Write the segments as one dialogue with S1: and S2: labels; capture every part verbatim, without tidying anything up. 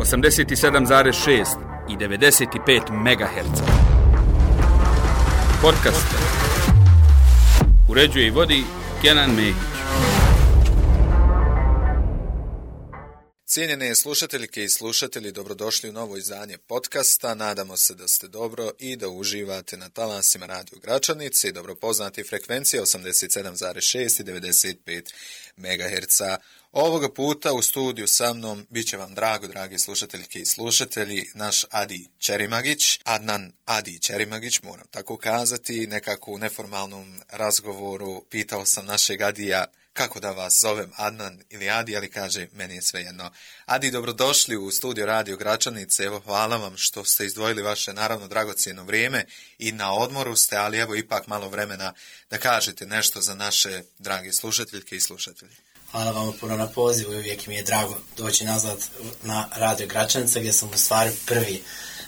S1: osamdeset sedam zarez šest i devedeset pet megaherca. Podcast uređuje i vodi Kenan Mehić.
S2: Cijenjene slušateljke i slušatelji, dobrodošli u novo izdanje podcasta. Nadamo se da ste dobro i da uživate na talasima Radio Gračanice i dobro poznati frekvencije osamdeset sedam zarez šest i devedeset pet megaherca. Ovoga puta u studiju sa mnom bit će vam drago, dragi slušateljke i slušatelji, naš Adi Čerimagić, Adnan Adi Čerimagić, moram tako kazati. Nekako u neformalnom razgovoru pitao sam našeg Adija kako da vas zovem, Adnan ili Adi, ali kaže, meni je svejedno. Adi, dobrodošli u studio Radio Gračanice. Evo, hvala vam što ste izdvojili vaše, naravno, dragocjeno vrijeme i na odmoru ste, ali evo ipak malo vremena da kažete nešto za naše drage slušateljke i slušatelje.
S3: Hvala vam puno na pozivu i uvijek mi je drago doći nazad na Radio Gračanice gdje sam u stvari prvi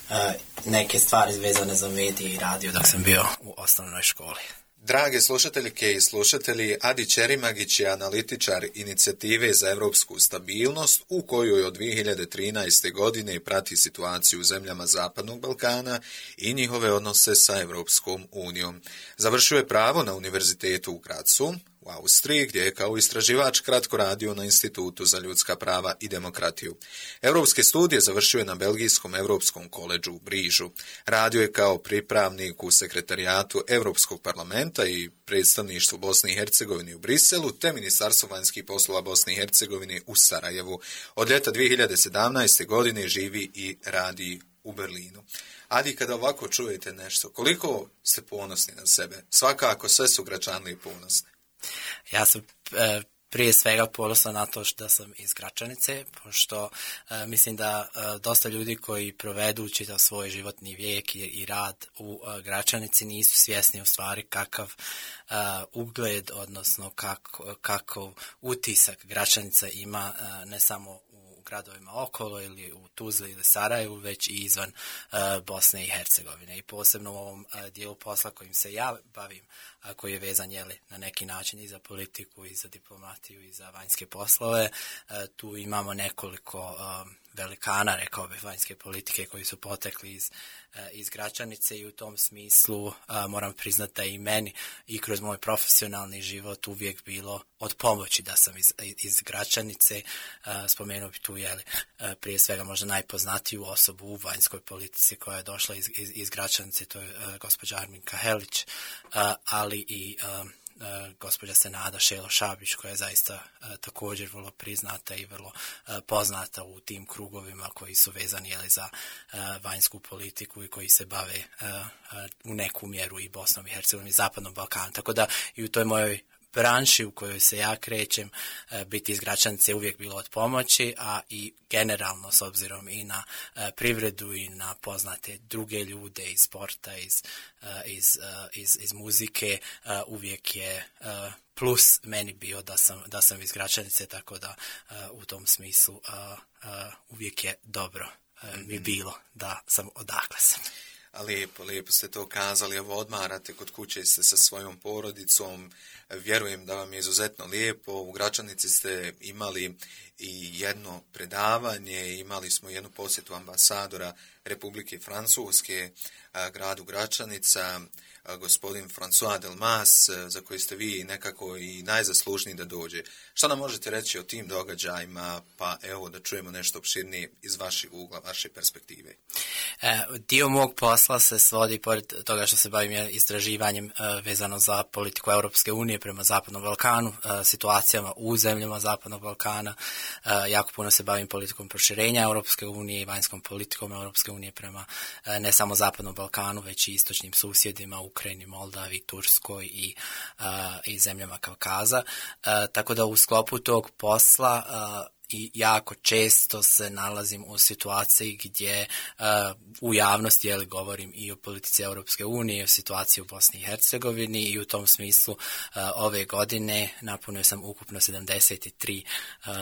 S3: uh, neke stvari vezane za medije i radio dok sam bio u osnovnoj školi.
S2: Drage slušateljke i slušatelji, Adi Čerimagić je analitičar inicijative za europsku stabilnost u kojoj od dvije hiljade trinaeste. godine prati situaciju u zemljama Zapadnog Balkana i njihove odnose sa Europskom unijom. Završio je pravo na Univerzitetu u Grazu u Austriji, gdje je kao istraživač kratko radio na Institutu za ljudska prava i demokratiju. Europske studije završio je na Belgijskom Europskom koledžu u Brižu. Radio je kao pripravnik u sekretarijatu Europskog parlamenta i predstavništvu Bosne i Hercegovine u Briselu, te Ministarstvo vanjskih poslova Bosne i Hercegovine u Sarajevu. Od ljeta dvije hiljade sedamnaeste. godine živi i radi u Berlinu. Adi, kada ovako čujete nešto, koliko ste ponosni na sebe? Svakako sve su Gračanlije ponosni.
S3: Ja sam e, prije svega ponosan na to da sam iz Gračanice, pošto e, mislim da e, dosta ljudi koji provedu čitav svoj životni vijek i, i rad u e, Gračanici nisu svjesni u stvari kakav e, ugled, odnosno kako, kakav utisak Gračanica ima e, ne samo u gradovima okolo ili u Tuzli ili Sarajevu, već i izvan e, Bosne i Hercegovine. I posebno u ovom e, dijelu posla kojim se ja bavim, a koji je vezan jeli, na neki način i za politiku, i za diplomatiju, i za vanjske poslove. E, tu imamo nekoliko e, velikana, rekao bih, vanjske politike koji su potekli iz, e, iz Gračanice i u tom smislu e, moram priznati da i meni i kroz moj profesionalni život uvijek bilo od pomoći da sam iz, iz Gračanice. E, spomenuo bi tu jeli, e, prije svega možda najpoznatiju osobu u vanjskoj politici koja je došla iz, iz, iz Gračanice, to je e, gospođa Arminka Helić, e, ali i um, uh, gospođa Senada Šelo Šabić, koja je zaista uh, također vrlo priznata i vrlo uh, poznata u tim krugovima koji su vezani jeli, za uh, vanjsku politiku i koji se bave uh, uh, u neku mjeru i Bosnom i Hercegovinom i Zapadnom Balkanu. Tako da i u toj mojoj branši u kojoj se ja krećem, biti iz Gračanice uvijek bilo od pomoći, a i generalno s obzirom i na privredu i na poznate druge ljude iz sporta, iz, iz, iz, iz muzike, uvijek je plus meni bio da sam, da sam iz Gračanice, tako da u tom smislu uvijek je dobro mi bilo da sam odakle sam.
S2: A lijepo, lijepo ste to kazali, evo odmarate kod kuće, ste sa svojom porodicom, vjerujem da vam je izuzetno lijepo. U Gračanici ste imali i jedno predavanje, imali smo jednu posjetu ambasadora Republike Francuske gradu Gračanica, gospodin François Delmas, za koji ste vi nekako i najzaslužniji da dođe. Šta nam možete reći o tim događajima, pa evo da čujemo nešto opširnije iz vašeg ugla, vaše perspektive?
S3: E, dio mog posla se svodi, pored toga što se bavim istraživanjem e, vezano za politiku Europske unije prema Zapadnom Balkanu, e, situacijama u zemljama Zapadnog Balkana, e, jako puno se bavim politikom proširenja Europske unije i vanjskom politikom Europske unije prema e, ne samo Zapadnom Balkanu, već i istočnim susjedima, Ukrajini, Moldavi, Turskoj i, uh, i zemljama Kavkaza. Uh, tako da u sklopu tog posla uh, i jako često se nalazim u situaciji gdje uh, u javnosti jeli, govorim i o politici Europske unije, i o situaciji u Bosni i Hercegovini, i u tom smislu uh, ove godine napunio sam ukupno sedamdeset tri uh,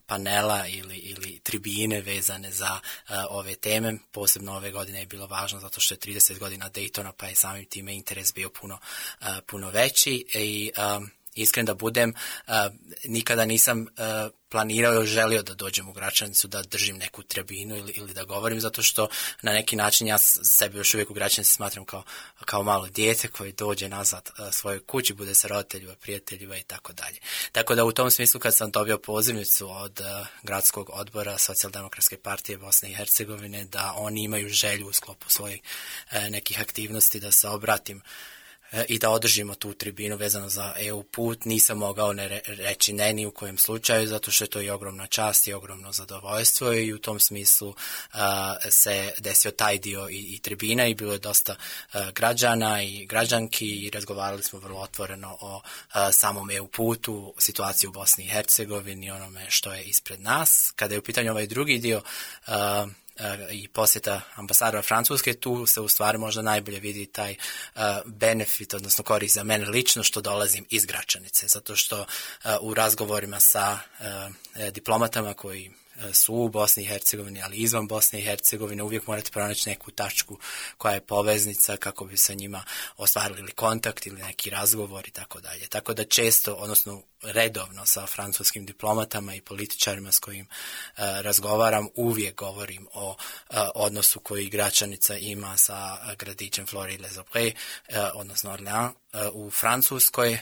S3: panela ili, ili tribine vezane za uh, ove teme. Posebno ove godine je bilo važno zato što je trideset godina Daytona, pa je samim time interes bio puno, uh, puno veći i um, iskren da budem, nikada nisam planirao i želio da dođem u Gračanicu, da držim neku tribinu ili, ili da govorim, zato što na neki način ja sebe još uvijek u Gračanici smatram kao, kao malo dijete koji dođe nazad svojoj kući, bude sa roditeljima, prijateljima i tako dalje. Tako da u tom smislu kad sam dobio pozivnicu od uh, gradskog odbora Socijaldemokratske partije Bosne i Hercegovine da oni imaju želju u sklopu svojih uh, nekih aktivnosti da se obratim i da održimo tu tribinu vezano za E U put, nisam mogao ne reći ne ni u kojem slučaju, zato što je to i ogromna čast i ogromno zadovoljstvo i u tom smislu uh, se desio taj dio i, i tribina i bilo je dosta uh, građana i građanki i razgovarali smo vrlo otvoreno o uh, samom E U putu, situaciji u Bosni i Hercegovini i onome što je ispred nas. Kada je u pitanju ovaj drugi dio uh, i posjeta ambasadora Francuske, tu se u stvari možda najbolje vidi taj uh, benefit, odnosno korist za mene lično što dolazim iz Gračanice, zato što uh, u razgovorima sa uh, diplomatama koji su u Bosni i Hercegovini, ali izvan Bosne i Hercegovine, uvijek morate pronaći neku tačku koja je poveznica kako bi sa njima ostvarili kontakt ili neki razgovor i tako dalje. Tako da često, odnosno redovno sa francuskim diplomatama i političarima s kojim uh, razgovaram, uvijek govorim o uh, odnosu koji Gračanica ima sa uh, gradićem Fleury-les-Aubrais, uh, odnosno Orléans, u Francuskoj, uh,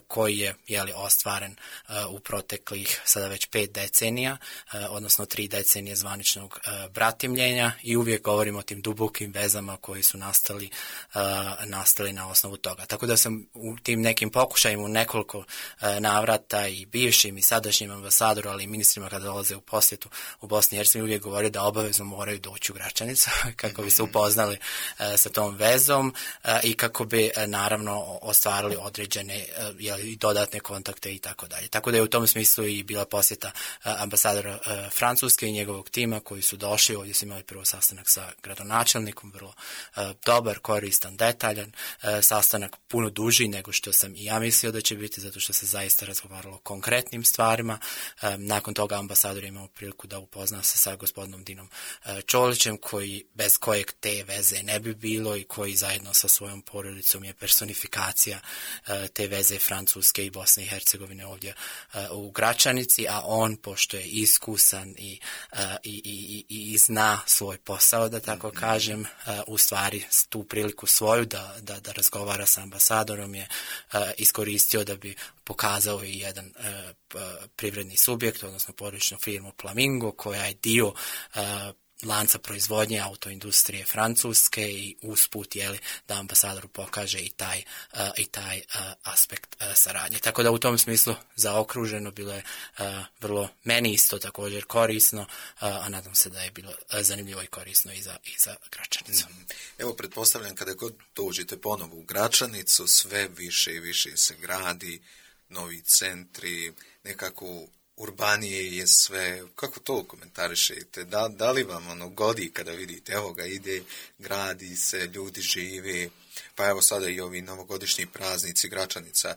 S3: koji je jeli, ostvaren uh, u proteklih sada već pet decenija, uh, odnosno tri decenije zvaničnog uh, bratimljenja i uvijek govorimo o tim dubokim vezama koji su nastali, uh, nastali na osnovu toga. Tako da sam u tim nekim pokušajima u nekoliko uh, navrata i bivšim i sadašnjim ambasadoru, ali i ministrima kada dolaze u posjetu u Bosni i Hercegovini uvijek govore da obavezno moraju doći u Gračanicu kako bi se upoznali uh, sa tom vezom uh, i kako bi uh, naravno ostvarili određene i dodatne kontakte i tako dalje. Tako da je u tom smislu i bila posjeta ambasadora Francuske i njegovog tima koji su došli. Ovdje su imali prvo sastanak sa gradonačelnikom, vrlo dobar, koristan, detaljan sastanak, puno duži nego što sam i ja mislio da će biti, zato što se zaista razgovaralo o konkretnim stvarima. Nakon toga ambasador je imao priliku da upozna se sa gospodinom Dinom Čolićem, koji bez kojeg te veze ne bi bilo i koji zajedno sa svojom porodicom je personifikacija te veze Francuske i Bosne i Hercegovine ovdje u Gračanici, a on, pošto je iskusan i, i, i, i zna svoj posao, da tako kažem, u stvari tu priliku svoju da, da, da razgovara sa ambasadorom je iskoristio da bi pokazao i jedan privredni subjekt, odnosno porodičnu firmu Flamingo, koja je dio lanca proizvodnje autoindustrije Francuske i usput jeli, da ambasadoru pokaže i taj, uh, i taj uh, aspekt uh, saradnje. Tako da u tom smislu zaokruženo bilo je uh, vrlo meni isto također korisno, uh, a nadam se da je bilo uh, zanimljivo i korisno i za, i za Gračanicu. Mm.
S2: Evo, pretpostavljam kada god dođete ponovo u Gračanicu, sve više i više se gradi, novi centri, nekako urbanije je sve. Kako to komentarišete? Da, da li vam ono godi kada vidite, evo ga ide, gradi se, ljudi žive, pa evo sada i ovi novogodišnji praznici, Gračanica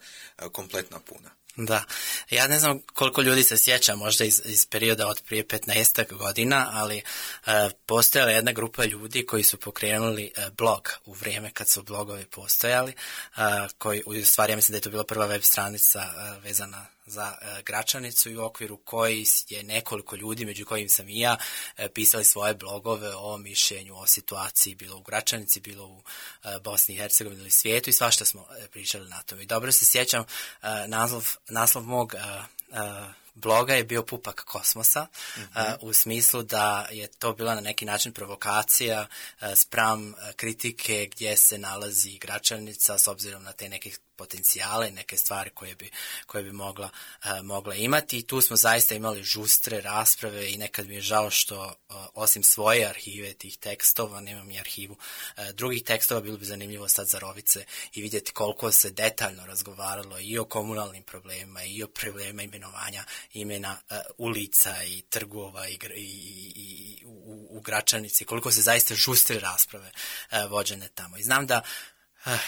S2: kompletna puna?
S3: Da, ja ne znam koliko ljudi se sjeća možda iz, iz perioda od prije petnaestak godina, ali uh, postojala jedna grupa ljudi koji su pokrenuli uh, blog u vrijeme kad su blogovi postojali, uh, koji, u stvari ja mislim da je to bila prva web stranica uh, vezana za uh, Gračanicu i u okviru koji je nekoliko ljudi, među kojim sam i ja, uh, pisali svoje blogove o mišljenju, o situaciji, bilo u Gračanici, bilo u uh, Bosni i Hercegovini ili svijetu i svašta smo uh, pričali na tome. I dobro se sjećam, uh, naslov, naslov mog uh, uh, bloga je bio Pupak kosmosa, mm-hmm. uh, u smislu da je to bila na neki način provokacija uh, spram uh, kritike gdje se nalazi Gračanica s obzirom na te neke potencijale, neke stvari koje bi, koje bi mogla, uh, mogla imati. I tu smo zaista imali žustre rasprave i nekad mi je žao što uh, osim svoje arhive tih tekstova, nemam i arhivu uh, drugih tekstova, bilo bi zanimljivo sad za Rovice i vidjeti koliko se detaljno razgovaralo i o komunalnim problemima i o problemima imenovanja imena uh, ulica i trgova i, i, i, i u, u Gračanici, koliko se zaista žustre rasprave uh, vođene tamo. I znam da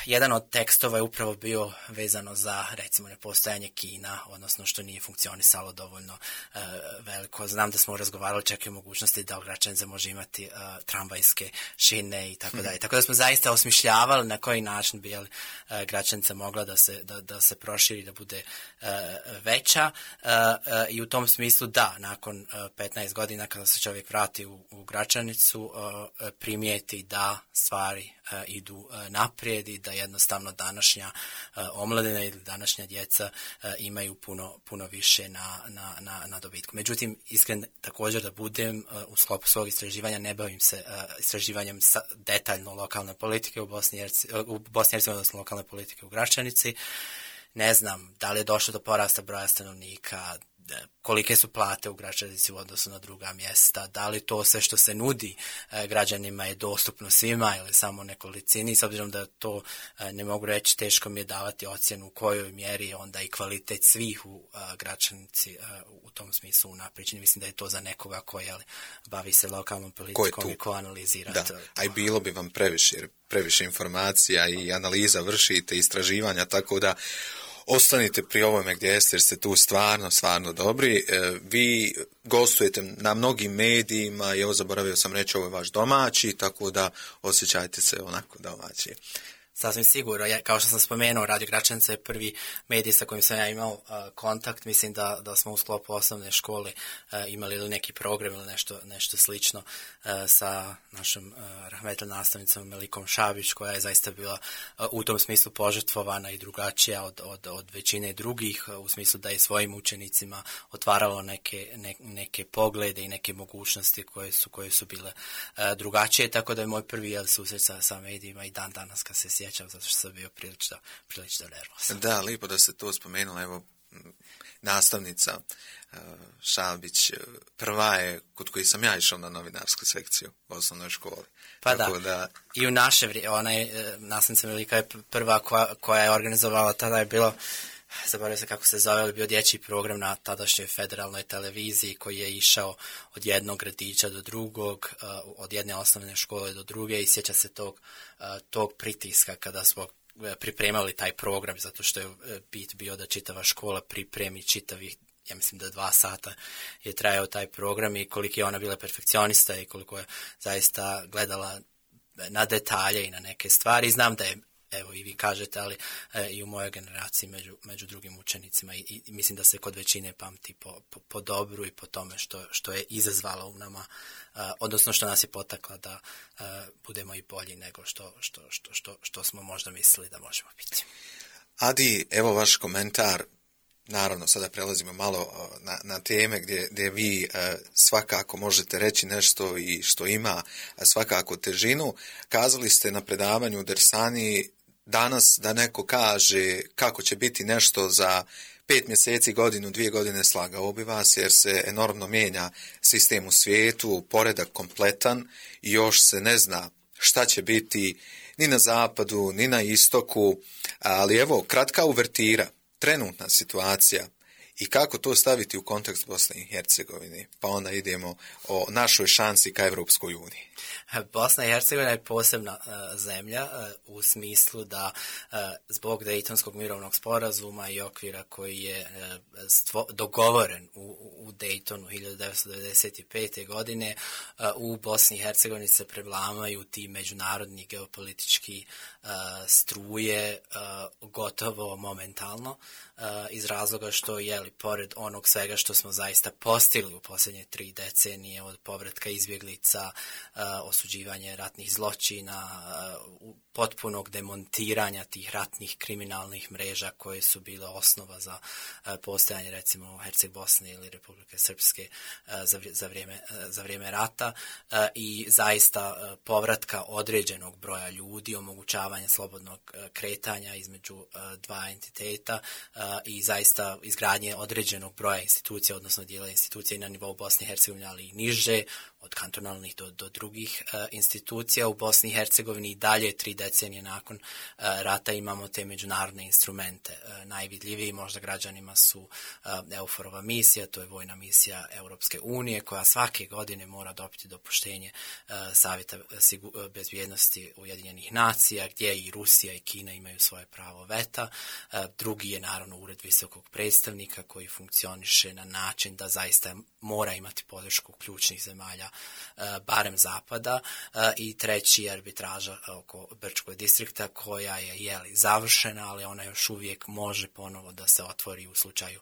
S3: Jedan od tekstova je upravo bio vezano za, recimo, nepostojanje kina, odnosno što nije funkcionisalo dovoljno uh, veliko. Znam da smo razgovarali čak i o mogućnosti da Gračanice može imati uh, tramvajske šine i tako dalje. Hmm. Tako da smo zaista osmišljavali na koji način bi uh, Gračanica mogla da se, da, da se proširi, da bude uh, veća. Uh, uh, I u tom smislu da, nakon uh, petnaest godina kada se čovjek vrati u, u Gračanicu, uh, primijeti da stvari uh, idu uh, naprijed i da jednostavno današnja uh, omladina ili današnja djeca uh, imaju puno, puno više na, na, na, na dobitku. Međutim, iskren također da budem, uh, u sklopu svog istraživanja ne bavim se uh, istraživanjem sa, detaljno lokalne politike u Bosni i Hercegovini, u Bosni i Hercegovini, odnosno lokalne politike u Gračanici. Ne znam da li je došlo do porasta broja stanovnika, kolike su plate u Gračanici u odnosu na druga mjesta, da li to sve što se nudi e, građanima je dostupno svima ili samo nekolicini, s obzirom da to e, ne mogu reći, teško mi je davati ocjenu u kojoj mjeri onda i kvalitet svih u e, Gračanici e, u tom smislu unaprijeđen. Mislim da je to za nekoga ko je, bavi se lokalnom politikom i ko analizira.
S2: Da, a i bilo bi vam previše, jer previše informacija i analiza vršite, istraživanja, tako da ostanite pri ovome gdje jeste, jer ste tu stvarno, stvarno dobri. E, vi gostujete na mnogim medijima i evo zaboravio sam reći, ovo je vaš domaći, tako da osjećajte se onako domaći.
S3: Sasvim sigurno. Ja, kao što sam spomenuo, Radio Gračanica je prvi medij sa kojim sam ja imao uh, kontakt. Mislim da, da smo u sklopu osnovne škole uh, imali ili neki program ili nešto, nešto slično uh, sa našom uh, rahmetli nastavnicom Melikom Šabić, koja je zaista bila uh, u tom smislu požrtvovana i drugačija od, od, od većine drugih, uh, u smislu da je svojim učenicima otvaralo neke, ne, neke poglede i neke mogućnosti koje su, koje su bile uh, drugačije. Tako da je moj prvi jel, susret sa, sa medijima i dan danas kad se sjećam, zato što sam bio prilično, prilično nervozan.
S2: Da, lijepo da ste to spomenuli. Evo, nastavnica uh, Šabić prva je kod koji sam ja išao na novinarsku sekciju u osnovnoj školi.
S3: Pa Tako da, da, i u naše vrijeme, ona je, nastavnica Velika je prva koja, koja je organizovala, tada je bilo, zaboravio se kako se zove, ali bio dječji program na tadašnjoj federalnoj televiziji koji je išao od jednog gradića do drugog, uh, od jedne osnovne škole do druge i sjeća se tog, uh, tog pritiska kada smo pripremali taj program, zato što je bit bio da čitava škola pripremi čitavih, ja mislim da dva sata je trajao taj program i koliko je ona bila perfekcionista i koliko je zaista gledala na detalje i na neke stvari. Znam da je, evo i vi kažete, ali e, i u mojoj generaciji među, među drugim učenicima i, i mislim da se kod većine pamti po, po, po dobru i po tome što, što je izazvala u nama, e, odnosno što nas je potakla da e, budemo i bolji nego što, što, što, što, što smo možda mislili da možemo biti.
S2: Adi, evo vaš komentar. Naravno, sada prelazimo malo na, na teme gdje, gdje vi e, svakako možete reći nešto i što ima svakako težinu. Kazali ste na predavanju u Dersani danas da neko kaže kako će biti nešto za pet mjeseci, godinu, dvije godine, slagao bi vas jer se enormno mijenja sistem u svijetu, poredak kompletan i još se ne zna šta će biti ni na zapadu, ni na istoku, ali evo, kratka uvertira. Trenutna situacija i kako to staviti u kontekst Bosne i Hercegovine, pa onda idemo o našoj šansi ka Evropskoj uniji.
S3: Bosna i Hercegovina je posebna uh, zemlja uh, u smislu da uh, zbog Dejtonskog mirovnog sporazuma i okvira koji je uh, stvo, dogovoren u, u Dejtonu hiljadu devetsto devedeset pete. godine uh, u Bosni i Hercegovini se prevlamaju ti međunarodni geopolitički uh, struje uh, gotovo momentalno uh, iz razloga što je li pored onog svega što smo zaista postigli u posljednje tri decenije od povratka izbjeglica, uh, osuđivanje ratnih zločina, uh, potpunog demontiranja tih ratnih kriminalnih mreža koje su bile osnova za uh, postojanje recimo Herceg Bosne ili Republike Srpske uh, za, za, vrijeme, uh, za vrijeme rata uh, i zaista uh, povratka određenog broja ljudi, omogućavanje slobodnog uh, kretanja između uh, dva entiteta uh, i zaista izgradnje određenog broja institucija, odnosno dijela institucija i na nivou Bosne i Hercegovine, ali i niže, od kantonalnih do, do drugih uh, institucija. U Bosni i Hercegovini i dalje tri decenije nakon uh, rata imamo te međunarodne instrumente. Uh, najvidljiviji možda građanima su uh, EUFOR-ova misija, to je vojna misija Europske unije, koja svake godine mora dobiti dopuštenje uh, Savjeta sigu- bezbjednosti Ujedinjenih nacija, gdje i Rusija i Kina imaju svoje pravo veta. Uh, drugi je naravno Ured visokog predstavnika koji funkcioniše na način da zaista mora imati podršku ključnih zemalja, barem zapada, i treći je arbitraža oko Brčkog distrikta koja je jeli, završena, ali ona još uvijek može ponovo da se otvori u slučaju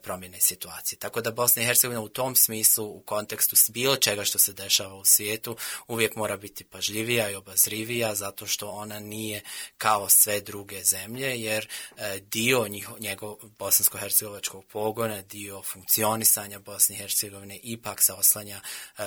S3: promjene situacije. Tako da Bosna i Hercegovina u tom smislu, u kontekstu bilo čega što se dešava u svijetu, uvijek mora biti pažljivija i obazrivija, zato što ona nije kao sve druge zemlje, jer dio njiho, njegov bosansko-hercegovačkog pogona, dio funkcionisanja Bosne i Hercegovine ipak se oslanja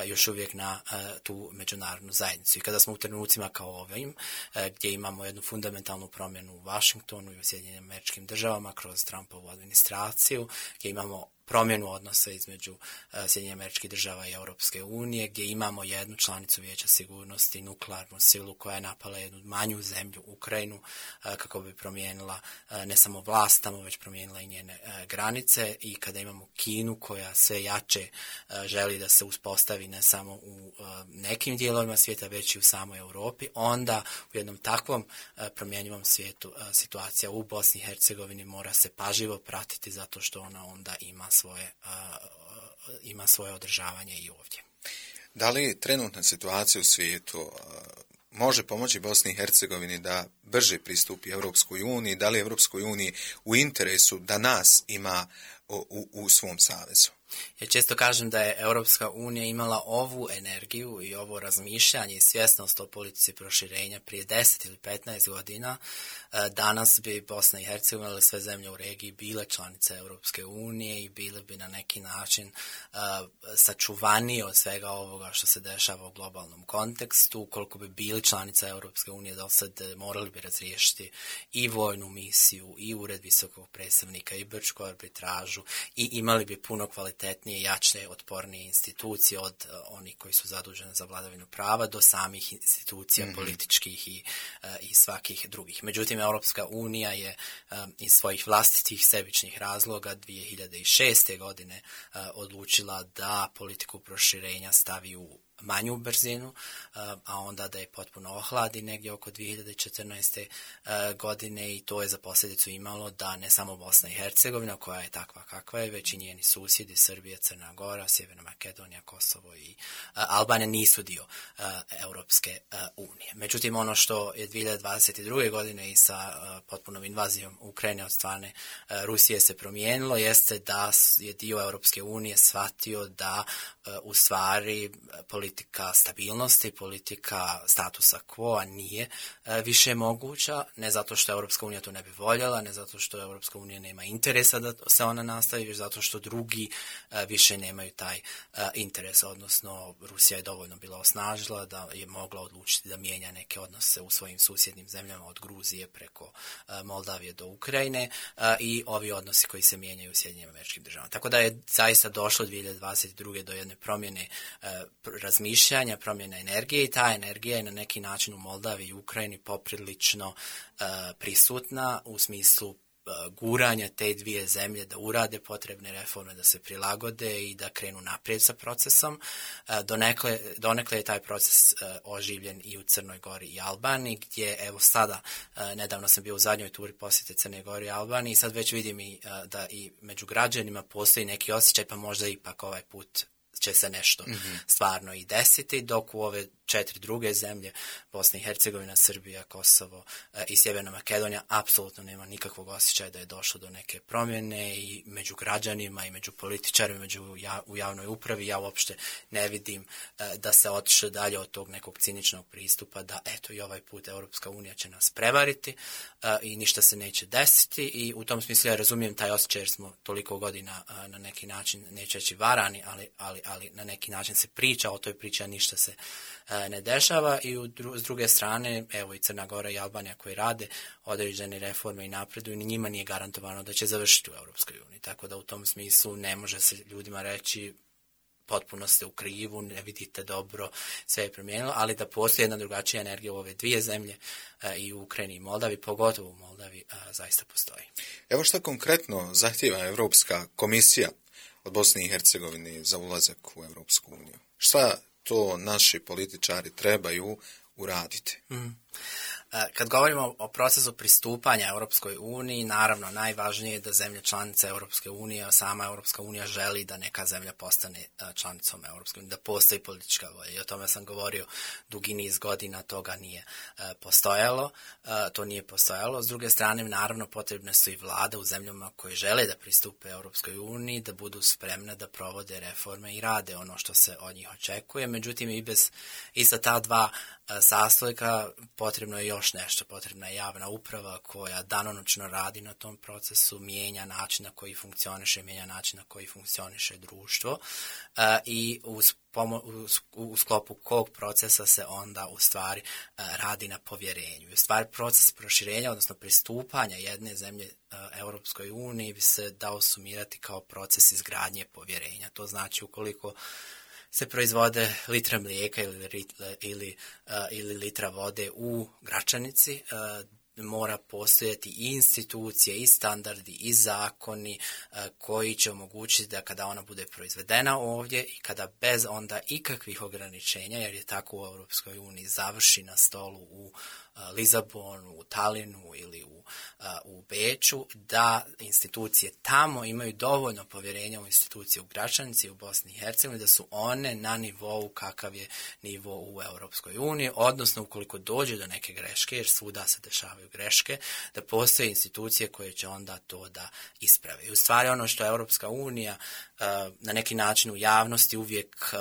S3: još uvijek na uh, tu međunarodnu zajednicu. I kada smo u trenucima kao ovim, uh, gdje imamo jednu fundamentalnu promjenu u Washingtonu i u Sjedinjenim Američkim Državama kroz Trumpovu administraciju, gdje imamo promjenu odnosa između uh, Sjedinjenih Američkih Država i Europske unije, gdje imamo jednu članicu Vijeća sigurnosti, nuklearnu silu koja je napala jednu manju zemlju, Ukrajinu, uh, kako bi promijenila uh, ne samo vlast tamo, već promijenila i njene uh, granice, i kada imamo Kinu koja sve jače uh, želi da se uspostavi ne samo u uh, nekim dijelovima svijeta, već i u samoj Europi, onda u jednom takvom uh, promjenjivom svijetu uh, situacija u Bosni i Hercegovini mora se pažljivo pratiti, zato što ona onda ima svoje, uh, ima svoje održavanje i ovdje.
S2: Da li trenutna situacija u svijetu uh, može pomoći Bosni i Hercegovini da brže pristupi Europskoj uniji? Da li Europskoj uniji u interesu da nas ima u, u, u svom savezu?
S3: Ja često kažem da je Europska unija imala ovu energiju i ovo razmišljanje i svjesnost o politici proširenja prije deset ili petnaest godina. Danas bi Bosna i Hercegovina ili sve zemlje u regiji bile članice Europske unije i bile bi na neki način uh, sačuvanije od svega ovoga što se dešava u globalnom kontekstu. Ukoliko bi bili članica Europske unije, do sad morali bi razriješiti i vojnu misiju, i ured visokog predstavnika, i Brčku arbitražu, i imali bi puno kvalitetnije, jače, otpornije institucije od uh, onih koji su zadužene za vladavinu prava do samih institucija mm-hmm. političkih i, uh, i svakih drugih. Međutim, Europska unija je um, iz svojih vlastitih sebičnih razloga dvije hiljade šeste. godine uh, odlučila da politiku proširenja stavi u manju brzinu, a onda da je potpuno ohladi negdje oko dvije hiljade četrnaeste. godine, i to je za posljedicu imalo da ne samo Bosna i Hercegovina, koja je takva kakva je, već i njeni susjedi, Srbija, Crna Gora, Sjeverna Makedonija, Kosovo i Albanija nisu dio Europske unije. Međutim, ono što je dvije hiljade dvadeset druge. godine i sa potpunom invazijom Ukrajine od strane Rusije se promijenilo, jeste da je dio Europske unije shvatio da u stvari politika stabilnosti, politika statusa quo nije e, više moguća, ne zato što Europska unija to ne bi voljela, ne zato što Europska unija nema interesa da se ona nastavi, već zato što drugi e, više nemaju taj e, interes, odnosno Rusija je dovoljno bila osnažila da je mogla odlučiti da mijenja neke odnose u svojim susjednim zemljama od Gruzije preko e, Moldavije do Ukrajine e, i ovi odnosi koji se mijenjaju u Sjedinjenim Američkim Državama. Tako da je zaista došlo dvije hiljade dvadeset druge. do jedne promjene e, razmišljanja, promjena energije, i ta energija je na neki način u Moldaviji i Ukrajini poprilično uh, prisutna u smislu uh, guranja te dvije zemlje da urade potrebne reforme, da se prilagode i da krenu naprijed sa procesom. Uh, donekle, donekle je taj proces uh, oživljen i u Crnoj Gori i Albaniji, gdje evo sada, uh, nedavno sam bio u zadnjoj turi posjete Crne Gori i Albaniji, i sad već vidim i, uh, da i među građanima postoji neki osjećaj, pa možda ipak ovaj put će se nešto mm-hmm. stvarno i desiti, dok u ove četiri druge zemlje, Bosna i Hercegovina, Srbija, Kosovo e, i Sjeverna Makedonija, apsolutno nema nikakvog osjećaja da je došlo do neke promjene, i među građanima i među političarima, među ja, u javnoj upravi ja uopšte ne vidim e, da se otišlo dalje od tog nekog ciničnog pristupa da eto i ovaj put Europska unija će nas prevariti e, i ništa se neće desiti, i u tom smislu ja razumijem taj osjećaj jer smo toliko godina e, na neki način, neće reći varani, ali, ali ali na neki način se priča o toj priči, a ništa se ne dešava. I u dru, s druge strane, evo i Crna Gora i Albanija koji rade određene reforme i napreduju, ni njima nije garantovano da će završiti u Europskoj uniji. Tako da u tom smislu ne može se ljudima reći potpuno ste u krivu, ne vidite dobro, sve je promijenilo, ali da postoji jedna drugačija energija u ove dvije zemlje, i u Ukrajini i Moldavi, pogotovo u Moldavi, zaista postoji.
S2: Evo što konkretno zahtijeva Europska komisija od Bosne i Hercegovine za ulazak u Europsku uniju? Šta to naši političari trebaju uraditi?
S3: Mm. Kad govorimo o procesu pristupanja Europskoj uniji, naravno najvažnije je da zemlje članice Europske unije, a sama Europska unija želi da neka zemlja postane članicom Europske unije, da postoji politička volja. I o tome sam govorio dugi niz godina, toga nije postojalo, to nije postojalo. S druge strane, naravno potrebne su i vlade u zemljama koje žele da pristupe Europskoj uniji, da budu spremne da provode reforme i rade ono što se od njih očekuje. Međutim, i bez i sa ta dva sastojka potrebno je još nešto, potrebna je javna uprava koja danonoćno radi na tom procesu, mijenja način na koji funkcioniše, mijenja način na koji funkcioniše društvo i uz Pomo- u sklopu kog procesa se onda u stvari radi na povjerenju. U stvari proces proširenja, odnosno pristupanja jedne zemlje Europskoj uniji bi se dao sumirati kao proces izgradnje povjerenja. To znači ukoliko se proizvode litra mlijeka ili, ili, ili litra vode u Gračanici, mora postojati i institucije, i standardi, i zakoni koji će omogućiti da kada ona bude proizvedena ovdje i kada bez onda ikakvih ograničenja, jer je tako u Europskoj uniji, završi na stolu u Lizabonu, u Talinu ili u, u Beču, da institucije tamo imaju dovoljno povjerenja u institucije u Gračanici, u Bosni i Hercegovini, da su one na nivou kakav je nivo u Europskoj uniji, odnosno ukoliko dođe do neke greške, jer svuda se dešavaju greške, da postoje institucije koje će onda to da isprave. I u stvari ono što je Europska unija na neki način u javnosti uvijek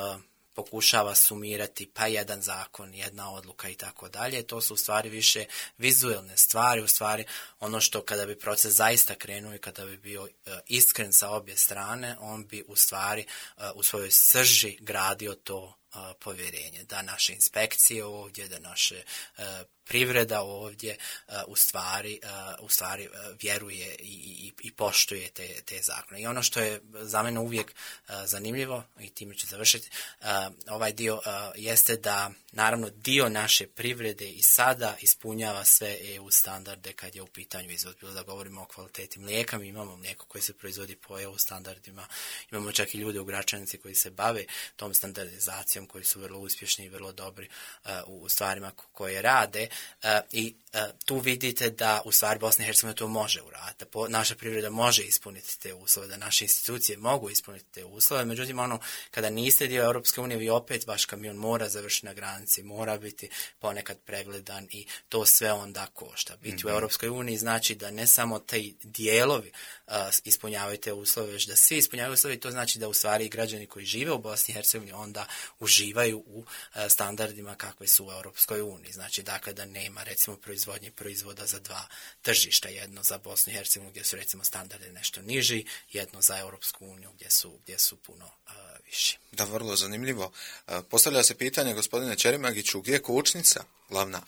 S3: pokušava sumirati pa jedan zakon, jedna odluka i tako dalje. To su u stvari više vizuelne stvari, u stvari ono što kada bi proces zaista krenuo i kada bi bio uh, iskren sa obje strane, on bi u stvari uh, u svojoj srži gradio to uh, povjerenje. Da naše inspekcije ovdje, da naše uh, privreda ovdje uh, u stvari, uh, u stvari uh, vjeruje i, i, i poštuje te, te zakone. I ono što je za mene uvijek uh, zanimljivo, i time ću završiti, uh, ovaj dio uh, jeste da naravno dio naše privrede i sada ispunjava sve E U standarde kad je u pitanju izvoz. Bilo da govorimo o kvaliteti mlijeka, mi imamo mlijeko koje se proizvodi po E U standardima, imamo čak i ljude u Gračanici koji se bave tom standardizacijom, koji su vrlo uspješni i vrlo dobri uh, u stvarima koje rade. Uh, I uh, tu vidite da u stvari Bosna i Hercegovina to može uraditi, da naša privreda može ispuniti te uslove, da naše institucije mogu ispuniti te uslove. Međutim, ono, kada niste dio Europske unije, vi opet vaš kamion mora završiti na granici, mora biti ponekad pregledan i to sve onda košta. Biti mm-hmm. u Europskoj uniji znači da ne samo te dijelovi uh, ispunjavaju te uslove, već da svi ispunjavaju uslove, i to znači da u stvari građani koji žive u Bosni i Hercegovini onda uživaju u uh, standardima kakve su u Europskoj uniji. Znači, dakle, da nema recimo proizvodnje proizvoda za dva tržišta, jedno za Bosnu i Hercegovinu gdje su recimo standardi nešto niži, jedno za Europsku uniju gdje su, gdje su puno uh, viši.
S2: Da, vrlo zanimljivo. Uh, postavlja se pitanje, gospodine Čerimagiću, gdje je kočnica glavna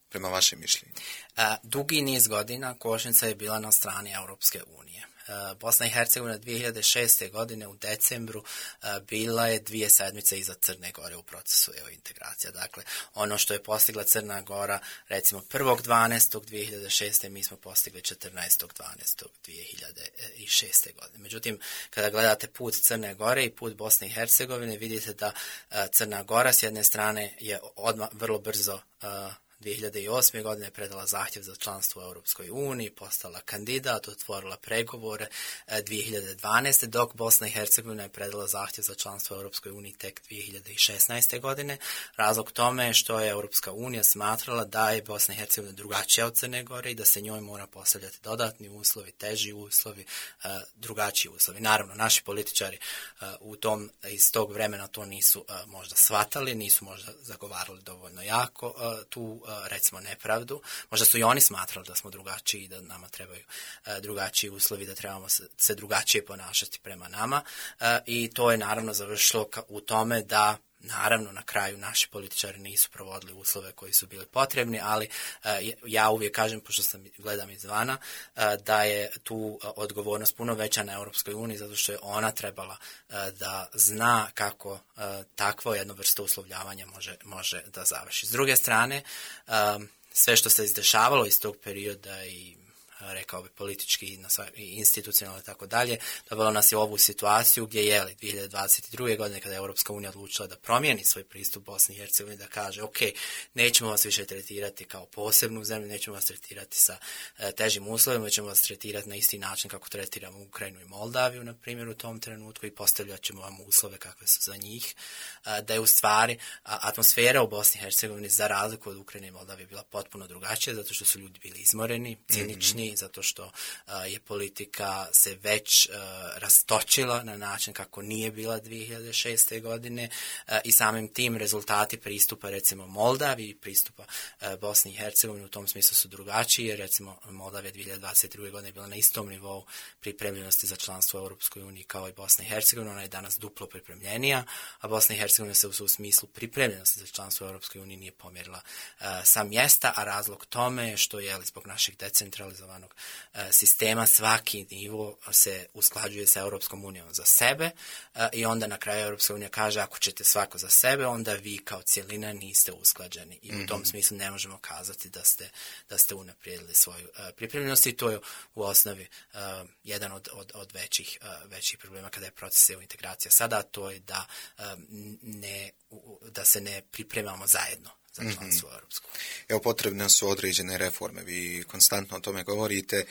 S2: prema vašem mišljenju?
S3: Uh, dugi niz godina kočnica je bila na strani Europske unije. Bosna i Hercegovina dvije hiljade šeste. godine u decembru bila je dvije sedmice iza Crne Gore u procesu E U integracija. Dakle, ono što je postigla Crna Gora, recimo prvog dvanaestog dvije hiljade šeste. mi smo postigli četrnaestog dvanaestog dvije hiljade šeste. godine. Međutim, kada gledate put Crne Gore i put Bosne i Hercegovine, vidite da Crna Gora s jedne strane je odmah vrlo brzo dvije hiljade osme. godine predala zahtjev za članstvo u Europskoj uniji, postala kandidat, otvorila pregovore dvije hiljade dvanaeste. dok Bosna i Hercegovina je predala zahtjev za članstvo u Europskoj uniji tek dvije hiljade šesnaeste. godine. Razlog tome je što je Europska unija smatrala da je Bosna i Hercegovina drugačija od Crne Gore i da se njoj mora postavljati dodatni uslovi, teži uslovi, drugačiji uslovi. Naravno, naši političari u tom, iz tog vremena to nisu možda shvatali, nisu možda zagovarali dovoljno jako tu recimo nepravdu, možda su i oni smatrali da smo drugačiji i da nama trebaju drugačiji uslovi, da trebamo se drugačije ponašati prema nama i to je naravno završilo u tome da naravno, na kraju naši političari nisu provodili uslove koji su bili potrebni, ali uh, ja uvijek kažem, pošto sam gledam izvana, uh, da je tu uh, odgovornost puno veća na Europskoj uniji, zato što je ona trebala uh, da zna kako uh, takvo jedno vrsto uslovljavanja može, može da završi. S druge strane, uh, sve što se izdešavalo iz tog perioda i rekao bi politički i institucionalno i tako dalje, dovelo nas je u ovu situaciju gdje je li dvije hiljade dvadeset druge. godine kada je Europska unija odlučila da promijeni svoj pristup Bosni i Hercegovini, da kaže ok, nećemo vas više tretirati kao posebnu zemlju, nećemo vas tretirati sa e, težim uslovima, ćemo vas tretirati na isti način kako tretiramo Ukrajinu i Moldaviju, na primjer, u tom trenutku i postavljat ćemo vam uslove kakve su za njih, e, da je u stvari a, atmosfera u Bosni i Hercegovini za razliku od Ukrajine i Moldavije bila potpuno drugačija, zato što su ljudi bili izmoreni, cinični, mm-hmm. zato što uh, je politika se već uh, rastočila na način kako nije bila dvije hiljade šeste. godine uh, i samim tim rezultati pristupa recimo Moldaviji i pristupa uh, Bosni i Hercegovini u tom smislu su drugačiji, jer recimo Moldavija dvije hiljade dvadeset druge. godine je bila na istom nivou pripremljenosti za članstvo u Europskoj uniji kao i Bosna i Hercegovina, ona je danas duplo pripremljenija, a Bosna i Hercegovina se u, u smislu pripremljenosti za članstvo u Europskoj uniji nije pomjerila uh, sa mjesta, a razlog tome je što je zbog našeg decentralizovanog sistema svaki nivo se usklađuje sa Europskom unijom za sebe i onda na kraju Europska unija kaže ako ćete svako za sebe, onda vi kao cjelina niste usklađeni i mm-hmm. u tom smislu ne možemo kazati da ste, da ste unaprijedili svoju uh, pripremljenost i to je u osnovi uh, jedan od, od, od većih, uh, većih problema kada je proces EU integracija sada, to je da, uh, ne, da se ne pripremamo zajedno za članstvo u Europsku.
S2: Evo, potrebne su određene reforme, vi konstantno o tome govorite.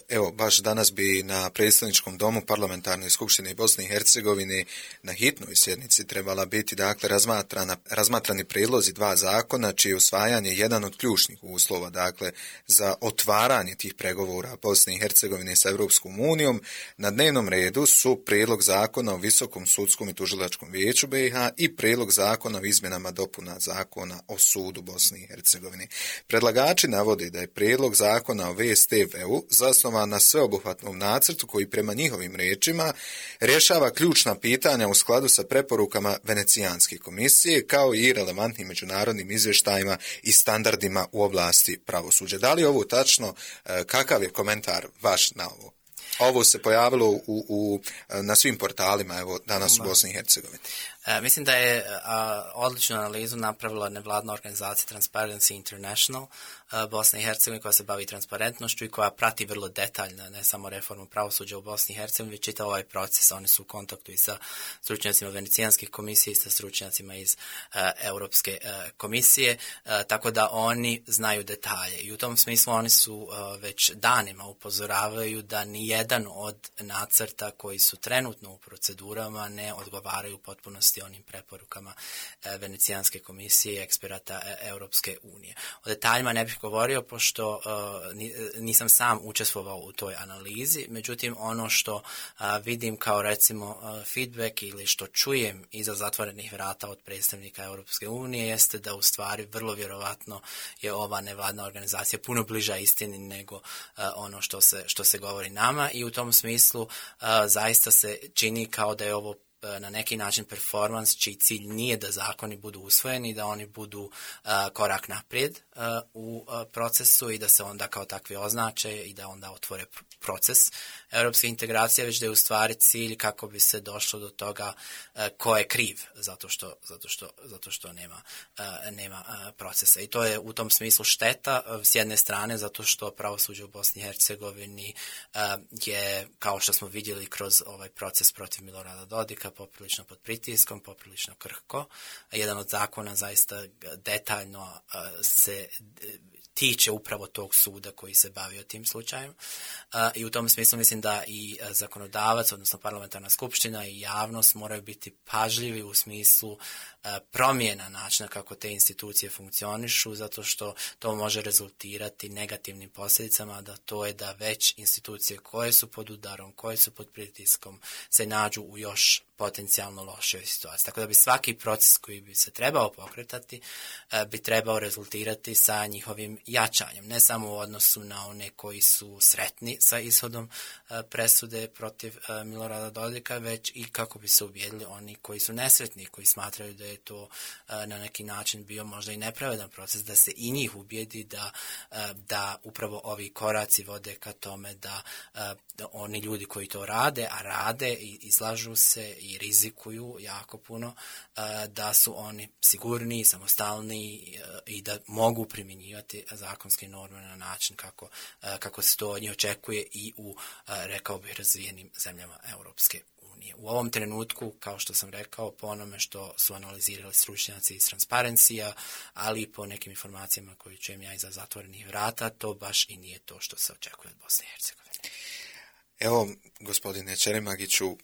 S2: Evo, baš danas bi na predstavničkom domu Parlamentarne skupštine Bosne i Hercegovine na hitnoj sjednici trebala biti, dakle, razmatrana, razmatrani prijedlozi dva zakona, čije usvajanje je jedan od ključnih uslova, dakle, za otvaranje tih pregovora Bosne i Hercegovine sa Europskom unijom. Na dnevnom redu su prijedlog zakona o Visokom sudskom i tužilačkom vijeću B i H i prijedlog zakona o izmjenama dopuna zakona o sudu Bosne i Hercegovine. Predlagači navode da je prijedlog zakona o V S T V-u zasnovan na sveobuhvatnom nacrtu koji prema njihovim riječima rješava ključna pitanja u skladu sa preporukama Venecijanske komisije kao i relevantnim međunarodnim izvještajima i standardima u oblasti pravosuđa. Da li je ovo tačno? Kakav je komentar vaš na ovo? Ovo se pojavilo u, u, na svim portalima evo, danas u Bosni i Hercegovini.
S3: E, mislim da je a, odličnu analizu napravila nevladna organizacija Transparency International a, Bosne i Hercegovine koja se bavi transparentnošću i koja prati vrlo detaljno ne samo reformu pravosuđa u Bosni i Hercegovini, već čitav ovaj proces. Oni su u kontaktu i sa stručnjacima Venecijanskih komisije i sa stručnjacima iz a, Europske a, komisije, a, tako da oni znaju detalje. I u tom smislu oni su a, već danima upozoravaju da nijedan od nacrta koji su trenutno u procedurama ne odgovaraju u potpunosti onim preporukama e, Venecijanske komisije i eksperata e, Europske unije. O detaljima ne bih govorio pošto e, nisam sam učestvovao u toj analizi, međutim ono što a, vidim kao recimo a, feedback ili što čujem iza zatvorenih vrata od predstavnika Europske unije jeste da u stvari vrlo vjerovatno je ova nevladna organizacija puno bliža istini nego a, ono što se, što se govori nama i u tom smislu a, zaista se čini kao da je ovo na neki način performans čiji cilj nije da zakoni budu usvojeni, da oni budu uh, korak naprijed uh, u uh, procesu i da se onda kao takvi označe i da onda otvore proces europske integracije, već da je u stvari cilj kako bi se došlo do toga uh, ko je kriv zato što, zato što, zato što nema, uh, nema uh, procesa. I to je u tom smislu šteta uh, s jedne strane zato što pravosuđe u Bosni i Hercegovini uh, je, kao što smo vidjeli kroz ovaj proces protiv Milorada Dodika, poprilično pod pritiskom, poprilično krhko. Jedan od zakona zaista detaljno uh, se tiče upravo tog suda koji se bavio tim slučajem. Uh, I u tom smislu mislim da i uh, zakonodavac, odnosno parlamentarna skupština i javnost moraju biti pažljivi u smislu uh, promjena načina kako te institucije funkcionišu, zato što to može rezultirati negativnim posljedicama, da to je da već institucije koje su pod udarom, koje su pod pritiskom, se nađu u još potencijalno lošoj situaciji. Tako da bi svaki proces koji bi se trebao pokretati bi trebao rezultirati sa njihovim jačanjem. Ne samo u odnosu na one koji su sretni sa ishodom presude protiv Milorada Dodika, već i kako bi se ubijedili oni koji su nesretni, koji smatraju da je to na neki način bio možda i nepravedan proces, da se i njih ubijedi da, da upravo ovi koraci vode ka tome da, da oni ljudi koji to rade, a rade i izlažu se i rizikuju jako puno, da su oni sigurni, samostalni i da mogu primjenjivati zakonske norme na način kako, kako se to od njih očekuje i u, rekao bih, razvijenim zemljama Europske unije. U ovom trenutku, kao što sam rekao, po onome što su analizirali stručnjaci iz Transparencija, ali i po nekim informacijama koje čujem ja iza zatvorenih vrata, to baš i nije to što se očekuje od Bosne i Hercegovine.
S2: Evo, gospodine Čeremagiću,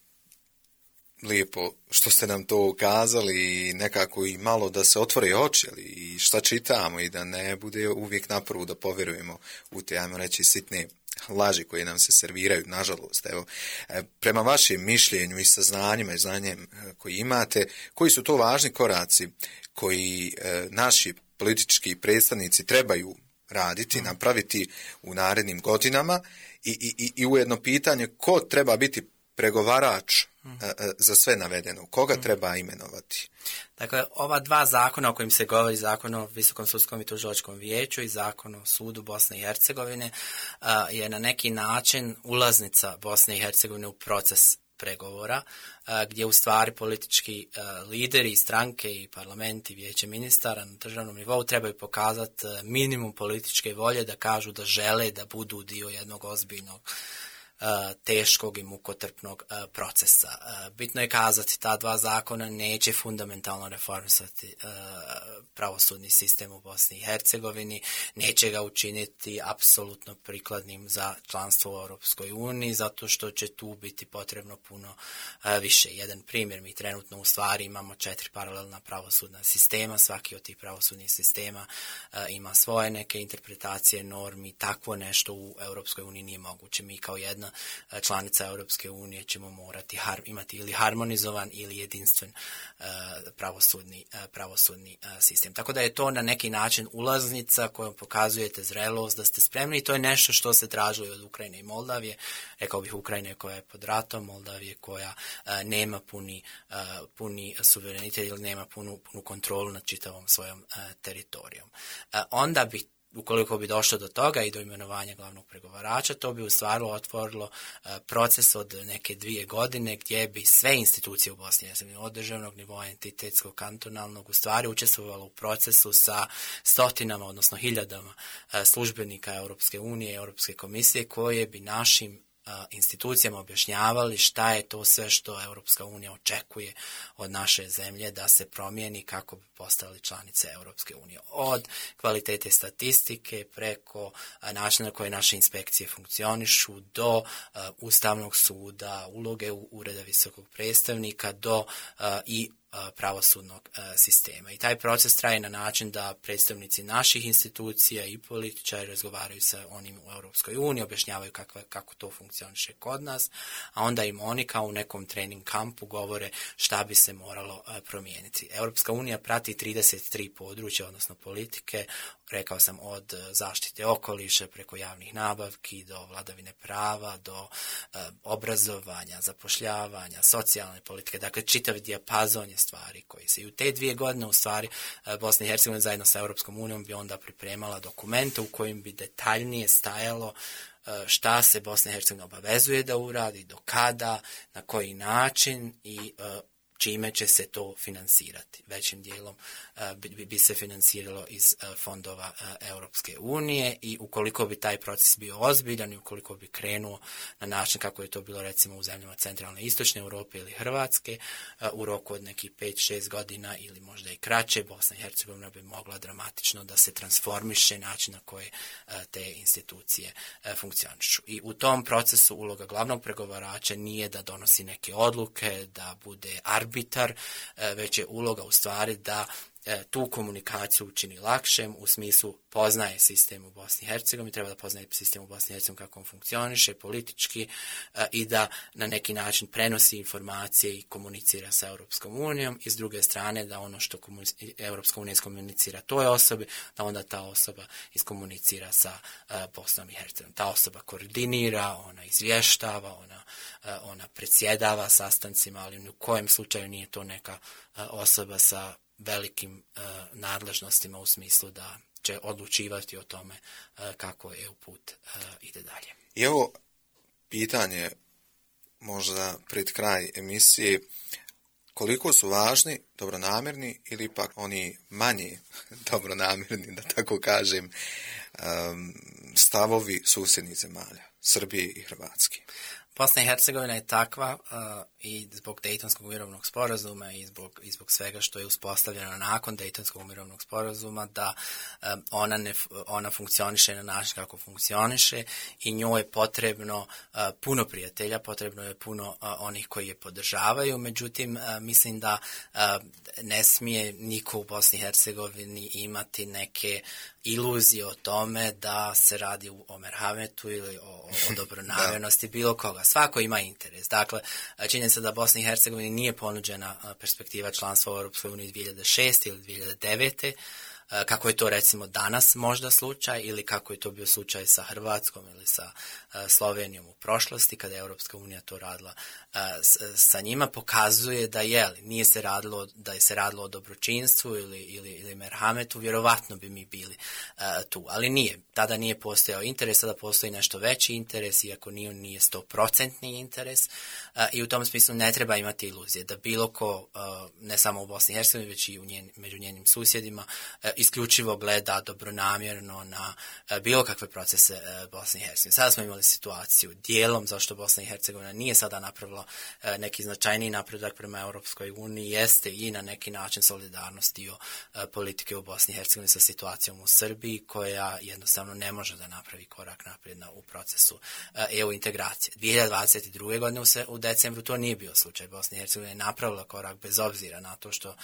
S2: lijepo što ste nam to ukazali i nekako i malo da se otvore oči i šta čitamo i da ne bude uvijek na prvu da povjerujemo u te, ajmo reći, sitne laži koje nam se serviraju, nažalost. Evo, prema vašem mišljenju i saznanjima i znanjem koji imate, koji su to važni koraci koji e, naši politički predstavnici trebaju raditi, mm. napraviti u narednim godinama i, i, i ujedno pitanje ko treba biti pregovarač mm. za sve navedeno, koga mm. treba imenovati?
S3: Dakle, ova dva zakona o kojim se govori, zakon o Visokom sudskom i tužilačkom vijeću i zakon o sudu Bosne i Hercegovine, je na neki način ulaznica Bosne i Hercegovine u proces pregovora, gdje u stvari politički lideri, stranke i parlamenti i vijeće ministara na državnom nivou trebaju pokazati minimum političke volje da kažu da žele da budu dio jednog ozbiljnog teškog i mukotrpnog procesa. Bitno je kazati, ta dva zakona neće fundamentalno reformisati pravosudni sistem u Bosni i Hercegovini, neće ga učiniti apsolutno prikladnim za članstvo u Europskoj uniji, zato što će tu biti potrebno puno više. Jedan primjer, mi trenutno u stvari imamo četiri paralelna pravosudna sistema, svaki od tih pravosudnih sistema ima svoje neke interpretacije normi, takvo nešto u Europskoj uniji nije moguće. Mi kao jedna članica Europske unije ćemo morati har, imati ili harmonizovan ili jedinstven uh, pravosudni, uh, pravosudni uh, sistem. Tako da je to na neki način ulaznica kojom pokazujete zrelost, da ste spremni i to je nešto što se tražilo od Ukrajine i Moldavije. Rekao bih Ukrajine koja je pod ratom, Moldavije koja uh, nema puni, uh, puni suverenitet ili nema punu, punu kontrolu nad čitavom svojom uh, teritorijom. Uh, onda bi ukoliko bi došlo do toga i do imenovanja glavnog pregovarača, to bi u stvari otvorilo uh, proces od neke dvije godine gdje bi sve institucije u Bosni i Hercegovini, od državnog nivoa, entitetskog, kantonalnog, u stvari učestvovalo u procesu sa stotinama, odnosno hiljadama uh, službenika Europske unije i Europske komisije koje bi našim institucijama objašnjavali šta je to sve što Europska unija očekuje od naše zemlje da se promijeni kako bi postali članice Europske unije. Od kvalitete statistike preko načina na koje naše inspekcije funkcionišu do uh, Ustavnog suda, uloge u Ureda visokog predstavnika do uh, i pravosudnog sistema. I taj proces traje na način da predstavnici naših institucija i političari razgovaraju sa onim u Europskoj uniji, objašnjavaju kakva, kako to funkcioniše kod nas, a onda im oni kao u nekom trening kampu govore šta bi se moralo promijeniti. Europska unija prati trideset tri područja, odnosno politike, rekao sam od zaštite okoliša preko javnih nabavki do vladavine prava, do e, obrazovanja, zapošljavanja, socijalne politike, dakle čitav dijapazon je stvari koji se i u te dvije godine u stvari Bosna i Hercegovina zajedno sa Europskom unijom bi onda pripremala dokumente u kojim bi detaljnije stajalo šta se Bosna i Hercegovina obavezuje da uradi, do kada, na koji način i čime će se to finansirati. Većim dijelom bi, bi se finansiralo iz fondova Europske unije i ukoliko bi taj proces bio ozbiljan i ukoliko bi krenuo na način kako je to bilo recimo u zemljama centralne i istočne Europe ili Hrvatske, u roku od nekih pet šest godina ili možda i kraće, Bosna i Hercegovina bi mogla dramatično da se transformiše način na koje te institucije funkcionišu. I u tom procesu uloga glavnog pregovarača nije da donosi neke odluke, da bude arbitar, već je uloga u stvari da tu komunikaciju učini lakšem u smislu poznaje sistem u Bosni i Hercegovini, treba da poznaje sistem u Bosni i Hercegovini kako on funkcioniše politički i da na neki način prenosi informacije i komunicira sa Europskom unijom i s druge strane da ono što Europska unija iskomunicira toj osobi, da onda ta osoba iskomunicira sa Bosnom i Hercegovinom. Ta osoba koordinira, ona izvještava, ona, ona predsjedava sastancima, ali u kojem slučaju nije to neka osoba sa velikim uh, nadležnostima u smislu da će odlučivati o tome uh, kako E U put uh, ide dalje.
S2: I evo pitanje možda pred kraj emisije, koliko su važni dobronamjerni ili ipak oni manje dobronamjerni, da tako kažem, um, stavovi susjednih zemalja, Srbije i Hrvatske?
S3: Bosna i Hercegovina je takva uh, i zbog Dejtonskog mirovnog sporazuma i zbog, i zbog svega što je uspostavljeno nakon Dejtonskog mirovnog sporazuma da um, ona, ne, ona funkcioniše na način kako funkcioniše i njoj je potrebno uh, puno prijatelja, potrebno je puno uh, onih koji je podržavaju, međutim uh, mislim da uh, ne smije niko u Bosni i Hercegovini imati neke iluzije o tome da se radi o merhametu ili o, o dobronamjernosti bilo koga. Svako ima interes. Dakle, činjenica da Bosni i Hercegovini nije ponuđena perspektiva članstva u Europskoj uniji dvije hiljade šeste ili dvije hiljade devete kako je to recimo danas možda slučaj ili kako je to bio slučaj sa Hrvatskom ili sa Slovenijom u prošlosti kada je Europska unija to radila sa njima, pokazuje da je li, nije se radilo, da je se radilo o dobročinstvu ili, ili, ili merhametu, vjerovatno bi mi bili uh, tu, ali nije. Tada nije postojao interes, sada postoji nešto veći interes, iako nije, nije stoprocentni interes uh, i u tom smislu ne treba imati iluzije da bilo ko, uh, ne samo u Bosni i Hercegovini, već i u njen, među njenim susjedima, uh, isključivo gleda dobronamjerno na uh, bilo kakve procese uh, Bosne i Hercegovine. Sada smo imali situaciju dijelom zašto Bosna i Hercegovina nije sada napravila neki značajniji napredak prema Europskoj uniji, jeste i na neki način solidarnost dio politike u Bosni i Hercegovini sa situacijom u Srbiji, koja jednostavno ne može da napravi korak naprijed u procesu E U integracije. dvije hiljade dvadeset druge godine u decembru to nije bio slučaj. Bosna i Hercegovina je napravila korak bez obzira na to što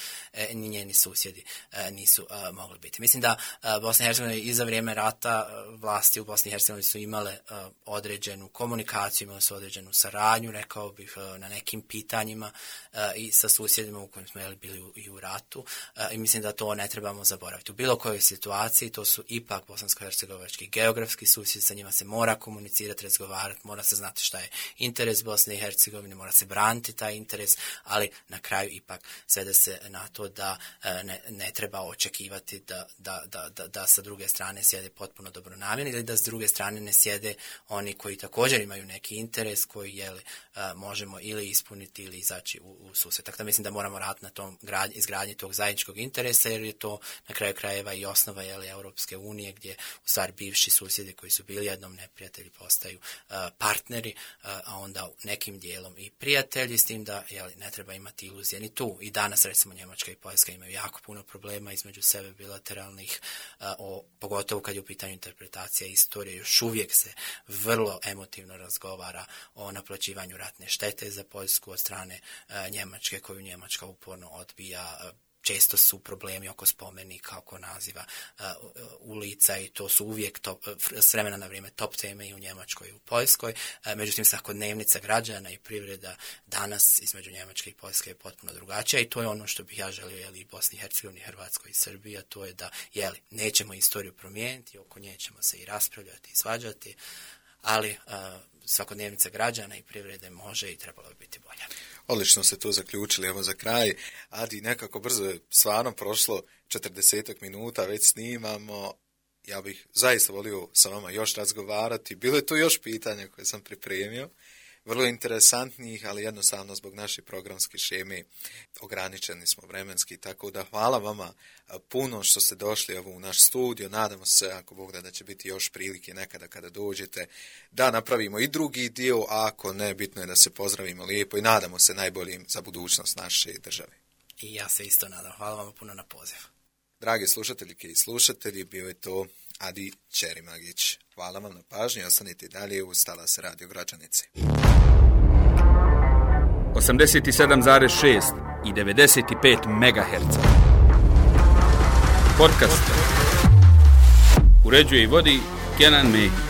S3: ni njeni susjedi nisu mogli biti. Mislim da Bosna i Hercegovina i za vrijeme rata vlasti u Bosni i Hercegovini su imale određenu komunikaciju, imale su određenu saradnju, rekao bih, na nekim pitanjima uh, i sa susjedima u kojim smo jeli bili u, i u ratu uh, i mislim da to ne trebamo zaboraviti. U bilo kojoj situaciji to su ipak bosansko-hercegovački geografski susjedi, sa njima se mora komunicirati, razgovarati, mora se znati šta je interes Bosne i Hercegovine, mora se braniti taj interes, ali na kraju ipak svede se na to da uh, ne, ne treba očekivati da, da, da, da, da sa druge strane sjede potpuno dobronamjerni ili da s druge strane ne sjede oni koji također imaju neki interes koji jeli, uh, možemo ili ispuniti ili izaći u, u susret. Tako da mislim da moramo raditi na tom grad, izgradnji tog zajedničkog interesa, jer je to na kraju krajeva i osnova jeli, Europske unije, gdje u stvari bivši susjedi koji su bili jednom neprijatelji postaju uh, partneri, uh, a onda nekim dijelom i prijatelji, s tim da jeli, ne treba imati iluzije ni tu. I danas recimo Njemačka i Poljska imaju jako puno problema između sebe bilateralnih, uh, o, pogotovo kad je u pitanju interpretacija istorije. Još uvijek se vrlo emotivno razgovara o naplaćivanju ratne štete za Poljsku od strane uh, Njemačke, koju Njemačka uporno odbija. Uh, često su problemi oko spomenika, oko naziva uh, ulica i to su uvijek top, s vremena na vrijeme top teme i u Njemačkoj i u Poljskoj. Uh, međutim, svakodnevnica građana i privreda danas između Njemačke i Poljske je potpuno drugačija i to je ono što bih ja želio jeli, i Bosni i Hercegovini, Hrvatskoj i Srbiji, a to je da jeli, nećemo istoriju promijeniti, oko nje ćemo se i raspravljati i svađati, ali uh, svakodnevnica građana i privrede može i trebalo bi biti bolja.
S2: Odlično ste to zaključili, evo za kraj. Adi, nekako brzo je stvarno prošlo četrdesetak minuta, već snimamo. Ja bih zaista volio sa vama još razgovarati. Bilo je tu još pitanja koje sam pripremio, vrlo interesantnih, ali jednostavno zbog naše programske šeme ograničeni smo vremenski, tako da hvala vama puno što ste došli evo u naš studio. Nadamo se, ako Bog da, da će biti još prilike nekada kada dođete da napravimo i drugi dio, a ako ne, bitno je da se pozdravimo lijepo i nadamo se najboljim za budućnost naše države.
S3: I ja se isto nadam. Hvala vam puno na poziv.
S2: Dragi slušateljke i slušatelji, bio je to Adi Čerimagić. Hvala vam na pažnji, ostanite dalje uz Talas Radio Gračanice.
S1: osamdeset sedam zarez šest i devedeset pet megaherca. Podcast. Uređuje i vodi Kenan Mehić.